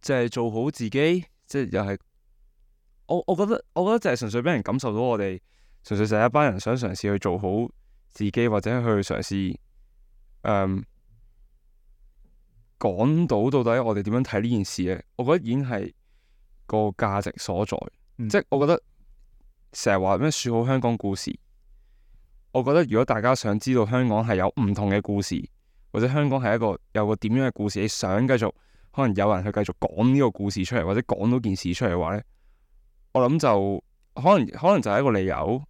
就係做好自己。即係又係，我覺得就係純粹俾人感受到我哋，純粹就係一班人想嘗試去做好自己，或者去嘗試講到底我哋點樣睇呢件事嘅。我覺得已經係個價值所在。即係我覺得成日話咩説好香港故事，我覺得如果大家想知道香港係有唔同嘅故事，或者香港係有個點樣嘅故事，你想繼續。可能有人去繼續講呢個故事出嚟，或者講到件事出嚟嘅話咧，我諗就可能就係一個理由。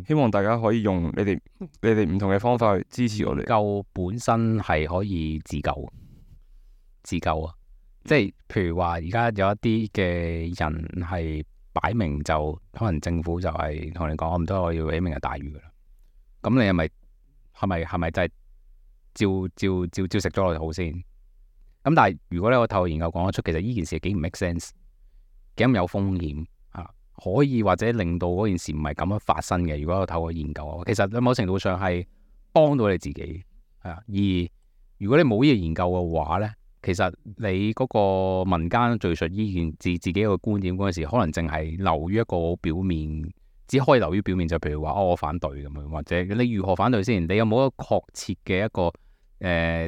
希望大家可以用你哋唔同嘅方法去支持我哋。救本身係可以自救啊！即係譬如話，而家有一啲嘅人係擺明就可能政府就係同你講，我唔得，我要起明日大嶼噶啦。咁你係咪真係照食咗落去好先？咁但係如果咧我透過研究講得出，其實呢件事幾唔 make sense， 幾咁有風險可以或者令到嗰件事唔係咁樣發生嘅。如果我透過研究，其實喺某程度上係幫到你自己而如果你冇呢個研究嘅話咧，其實你嗰個民間敘述依件自己一個觀點嗰陣時，可能淨係流於一個表面，只可以流於表面，就譬如話我反對咁樣，或者你如何反對先？你有冇一個確切嘅一個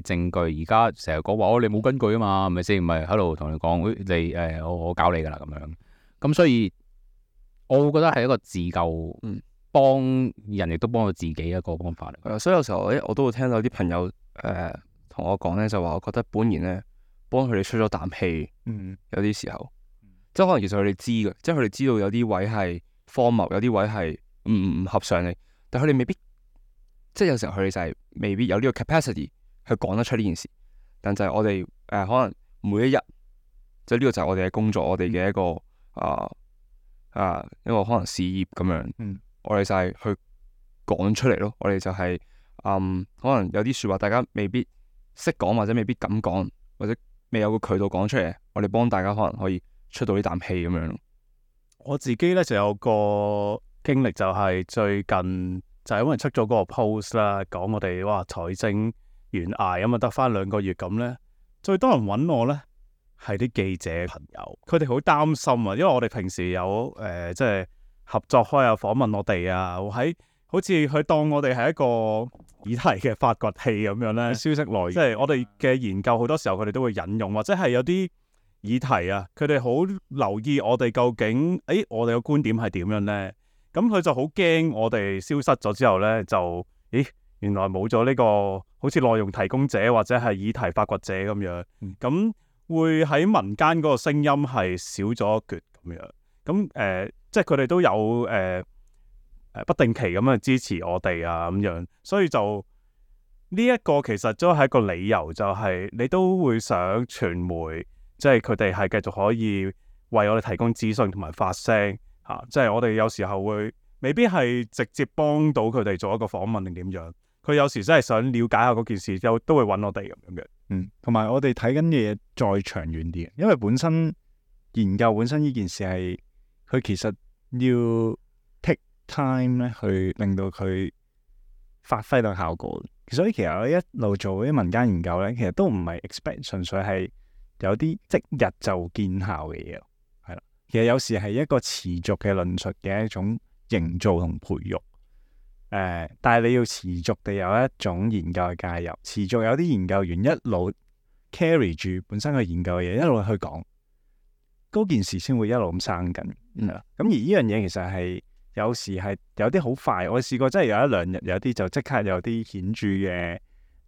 證據？而家成日講話你冇根據啊嘛，係咪先？咪喺度同你講，你我搞你㗎啦咁樣。咁所以我會覺得係一個自救，幫人亦都幫到自己一個方法嚟。所以有時候我都會聽到啲朋友同我講咧，就話我覺得本然咧幫佢哋出咗啖氣。有啲時候，即係可能其實佢哋知嘅，即係佢哋知道有啲位係荒謬，有啲位係唔合常理，但佢哋未必，即係有時候佢哋就係未必有呢個 capacity 去講得出呢件事。但就係我哋可能每一日，即係呢個就係我哋嘅工作，我哋嘅一個一個可能事業咁樣。我哋就係去講出嚟咯。我哋就係可能有啲說話大家未必識講，或者未必敢講，或者未有個渠道講出嚟，我哋幫大家可能可以出到呢啖氣咁樣咯。我自己咧就有個經歷，就係最近就係因為出咗嗰個 post 啦，講我哋財政懸崖咁啊，得翻2個月咁咧，最多人揾我咧係啲記者朋友，佢哋好擔心啊，因為我哋平時有即係合作開啊，訪問我哋啊，好似佢當我哋係一個議題嘅發掘器咁樣咧，消息來源，即係我哋嘅研究好多時候佢哋都會引用，或者係有啲議題啊，佢哋好留意我哋究竟，我哋嘅觀點係點樣呢？咁佢就好驚我哋消失咗之後呢，就原來冇咗呢個好似內容提供者或者係議題發掘者咁樣，咁會喺民間嗰個聲音係少咗一橛咁樣。咁即係佢哋都有不定期咁樣支持我哋啊咁樣，所以就呢一個其實都係一個理由，就係你都會想傳媒。即係佢哋係繼續可以為我哋提供資訊同埋發聲嚇，即係我哋有時候會未必係直接幫到佢哋做一個訪問定點樣，佢有時真係想了解下嗰件事，都會揾我哋咁樣嘅。同埋我哋睇緊嘅嘢再長遠啲，因為本身研究本身呢件事係佢其實要 take time 咧去令到佢發揮到效果。所以其實我一路做啲民間研究咧，其實都唔係 expect 純粹係有啲即日就見效嘅嘢，係啦。其實有時係一個持續嘅論述嘅一種營造同培育。但係你要持續地有一種研究嘅介入，持續有啲研究員一路 carry 住本身佢研究嘅嘢，一路去講嗰件事，先會一路咁生緊。咁而呢樣嘢其實係有時係有啲好快，我試過真係有1-2日有啲就即刻有啲顯著嘅，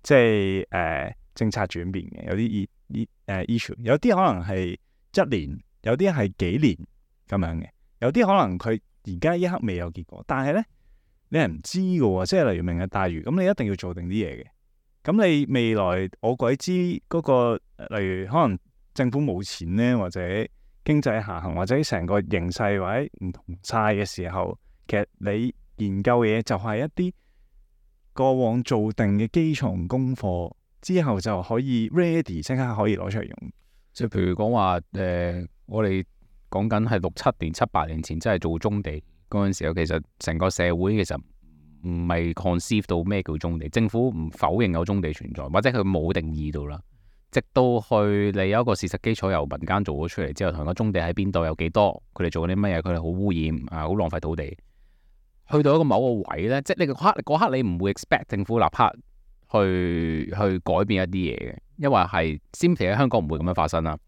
即係政策轉變嘅，有啲issue， 有啲可能係1年，有啲係幾年咁樣嘅，有啲可能佢而家一刻未有結果，但係咧你係唔知嘅喎，即係例如明日大嶼，咁你一定要做定啲嘢嘅。咁你未來我鬼知嗰個，例如可能政府冇錢咧，或者經濟下行，或者成個形勢或者唔同晒嘅時候，其實你研究嘅嘢就係一啲過往做定嘅基礎功課。之後就可以 ready， 即刻可以攞出嚟用。即係譬如講話我哋講緊係6-7年、7-8年前，真係做棕地嗰陣時候，其實成個社會其實唔係 conceive 到咩叫棕地，政府唔否認有棕地存在，或者佢冇定義到啦。直到去你有一個事實基礎由民間做咗出嚟之後，同個棕地喺邊度有幾多，佢哋做緊啲乜嘢，佢哋好污染好浪費土地。去到一個某個位呢，即係你嗰刻你唔會 expect 政府立刻去改變一啲嘢嘅，因為係 simply 喺香港唔會咁樣發生啦。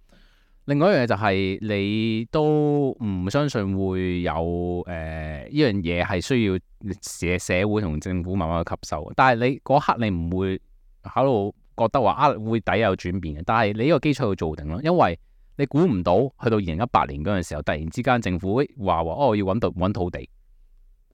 另外一樣嘢就係你都唔相信會有呢樣嘢係需要社會同政府慢慢去吸收。但係你嗰刻你唔會喺度覺得話會底有轉變嘅。但係你呢個基礎要做定咯，因為你估唔到去到2018年嗰陣時候，突然之間政府話要揾土地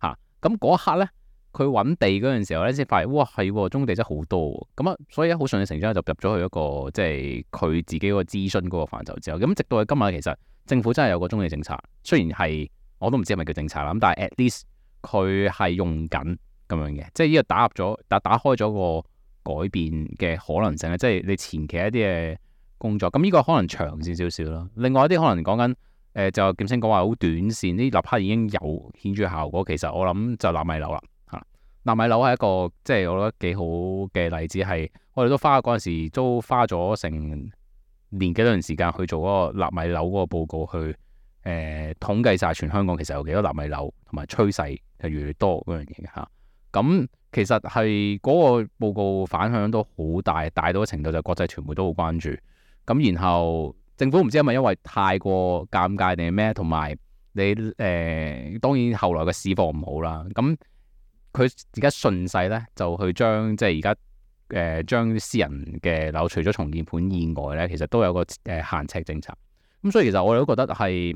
嚇，咁嗰一刻呢。佢揾地嗰陣時候咧，先發現哇係棕地真係好多喎，咁啊，所以好順理成章就入咗去一個即係佢自己個諮詢嗰個範疇之後，咁直到今日其實政府真係有個棕地政策，雖然係我都唔知係咪叫政策啦，咁但係 at least 佢係用緊咁樣嘅，即係呢個打開咗個改變嘅可能性咧，即係你前期一啲嘅工作，咁呢個可能長線少少咯。另外一啲可能講緊就劍青講話好短線，呢立刻已經有顯著效果，其實我諗就納米樓啦。納米樓係一個即係我覺得幾好嘅例子，係我哋嗰陣時都花咗成年幾多段時間去做嗰個納米樓嗰個報告，去統計晒全香港其實有幾多納米樓，同埋趨勢係越嚟越多嗰樣嘢嘅嚇。咁其實係嗰個報告反響都好大，大到嘅程度就國際傳媒都好關注。咁然後政府唔知係咪因為太過尷尬定係咩，同埋你當然後來嘅市況唔好啦。咁佢而家順勢咧就去將即係而家將私人嘅樓除咗重建盤以外咧，其實都有個限尺政策。咁所以其實我哋都覺得係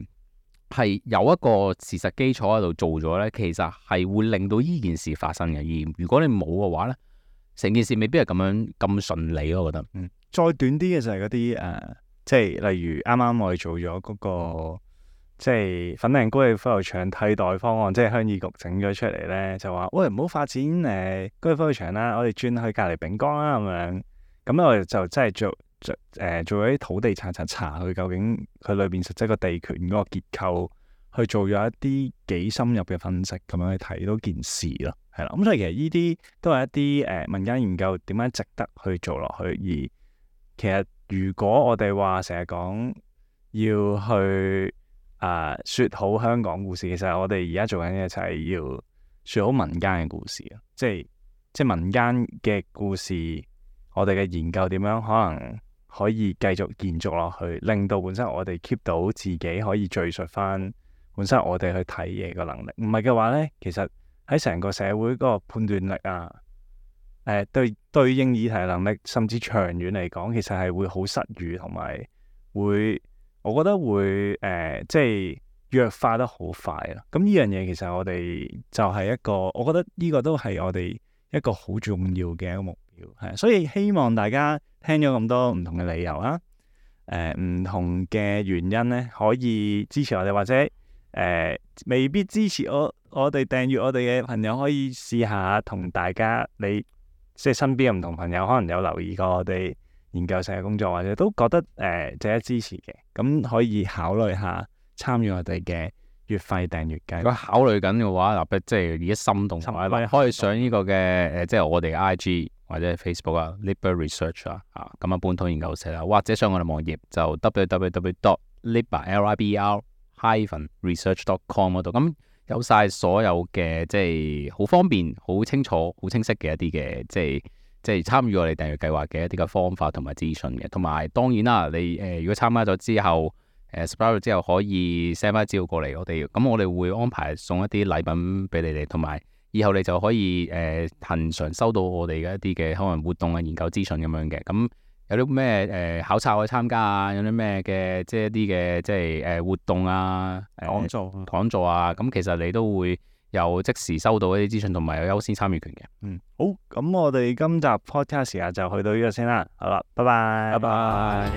有一個事實基礎喺度做咗咧，其實係會令到呢件事發生嘅。而如果你冇嘅話咧，成件事未必係咁順利咯。我覺得，再短啲嘅就係嗰啲即係例如啱啱我哋做咗嗰個即係粉嶺高爾夫球場替代方案，即係鄉議局整咗出嚟咧，就話喂，唔好發展高爾夫球場啦，我哋轉去隔離丙江啦咁樣。咁我哋就真係做咗啲土地查佢究竟佢裏邊實際個地權嗰個結構，去做咗一啲幾深入嘅分析，咁樣去睇到件事咯，係啦。咁所以其實呢啲都係一啲民間研究點樣值得去做落去。而其實如果我哋話成日講要去説好香港故事，其實我哋而家做緊嘅就係要説好民間嘅故事啊！即係民間嘅故事，我哋嘅研究點樣可能可以繼續延續落去，令到本身我哋 keep 到自己可以敘述翻本身我哋去睇嘢嘅能力。唔係嘅話咧，其實喺成個社會嗰個判斷力啊，對應議題能力，甚至長遠嚟講，其實係會好失語，同埋我覺得會即係弱化得好快啦。咁呢樣嘢其實我哋就係一個，我覺得呢個都係我哋一個好重要嘅一個目標，係。所以希望大家聽咗咁多唔同嘅理由啊，唔同嘅原因咧，可以支持我哋，或者未必支持我哋訂閱我哋嘅朋友，可以試下同大家即係身邊嘅唔同朋友，可能有留意過我哋研究社嘅工作，或者都覺得值得支持嘅，咁可以考慮下參與我哋嘅月費訂閱計劃。如果考慮緊嘅話，即係而家心動嘅話，可以上呢個嘅即係我哋 IG 或者 Facebook 啊 ，Liber Research 啊，咁啊本土研究社啦，或者上我哋網頁就 www.liber-research.com 嗰度，咁有晒所有嘅即係好方便、好清楚、好清晰嘅一啲嘅即係參與我哋訂閱計劃嘅一啲嘅方法同埋資訊嘅，同埋當然啦，你如果參加咗之後subscribe 之後可以 send 翻資料過嚟我哋，咁我哋會安排送一啲禮品俾你哋，同埋以後你就可以恆常收到我哋嘅一啲嘅可能活動啊、研究資訊咁樣嘅。咁有啲咩考察可以參加啊，有啲咩嘅即係一啲嘅即係活動啊、講座啊，咁其實你都會有即時收到一啲資訊，同埋有優先參與權嘅。好，咁我哋今集 podcast 時間就去到呢度先啦。好啦，拜拜，拜拜。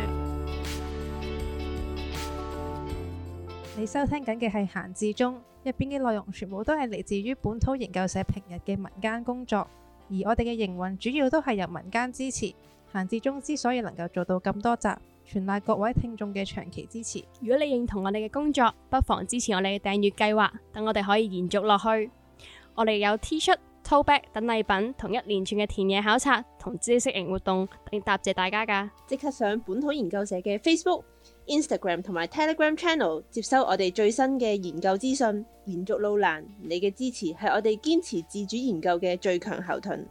你收聽緊嘅係閒置中，入邊嘅內容全部都係嚟自於本土研究社平日嘅民間工作，而我哋嘅營運主要都係由民間支持。閒置中之所以能夠做到咁多集，全賴各位聽眾嘅長期支持。如果你認同我哋嘅工作，不妨支持我哋嘅訂閱計劃，等我哋可以延續落去。我哋有 T 恤、tote bag 等禮品，同一連串嘅田野考察同知識型活動，嚟答謝大家㗎。即刻上本土研究社嘅 Facebook、Instagram 同埋 Telegram Channel 接收我哋最新嘅研究資訊。延續路難，你嘅支持係我哋堅持自主研究嘅最強後盾。